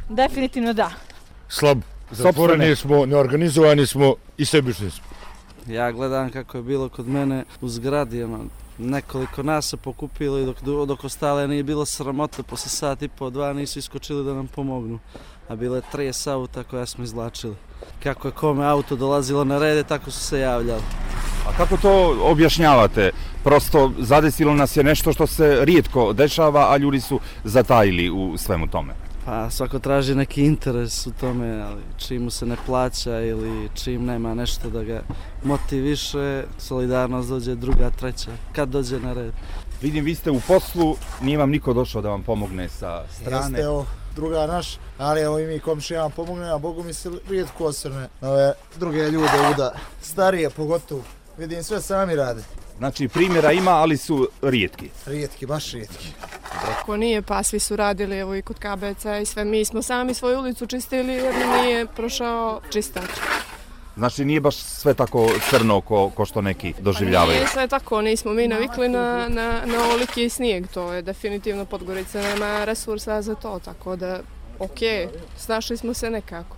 Definitivno da. Slab, zatvoreni smo, neorganizovani smo i sebični smo. Ja gledam kako je bilo kod mene u zgradi, nekoliko nas se pokupilo i dok ostale nije bilo sramota, posle sat i po, 2 nisu iskočili da nam pomognu. A bile 30 auta koja smo izvlačili. Kako je kome auto dolazilo na rede, tako su se javljali. A kako to objašnjavate? Prosto zadesilo nas je nešto što se rijetko dešava, a ljudi su zatajili u svemu tome. Pa svako traži neki interes u tome, ali čim mu se ne plaća ili čim nema nešto da ga motiviše, solidarnost dođe druga, treća, kad dođe na red. Vidim, vi ste u poslu, nije vam niko došao da vam pomogne sa strane. Jeste, druga naš, ali evo i mi komšijama pomogne, a Bogu mi se rijetko osvrne na ove druge ljude, starije pogotovo. Vidim, sve sami rade. Znači primjera ima, ali su rijetki. Rijetki, baš rijetki. Ako nije, pa svi su radili, evo i kod KBC i sve. Mi smo sami svoju ulicu čistili jer nije prošao čistač. Znači nije baš sve tako crno ko što neki doživljavaju. Nije sve tako, nismo mi navikli na ovoliki snijeg, to je definitivno Podgorica nema resursa za to, tako da ok, snašli smo se nekako.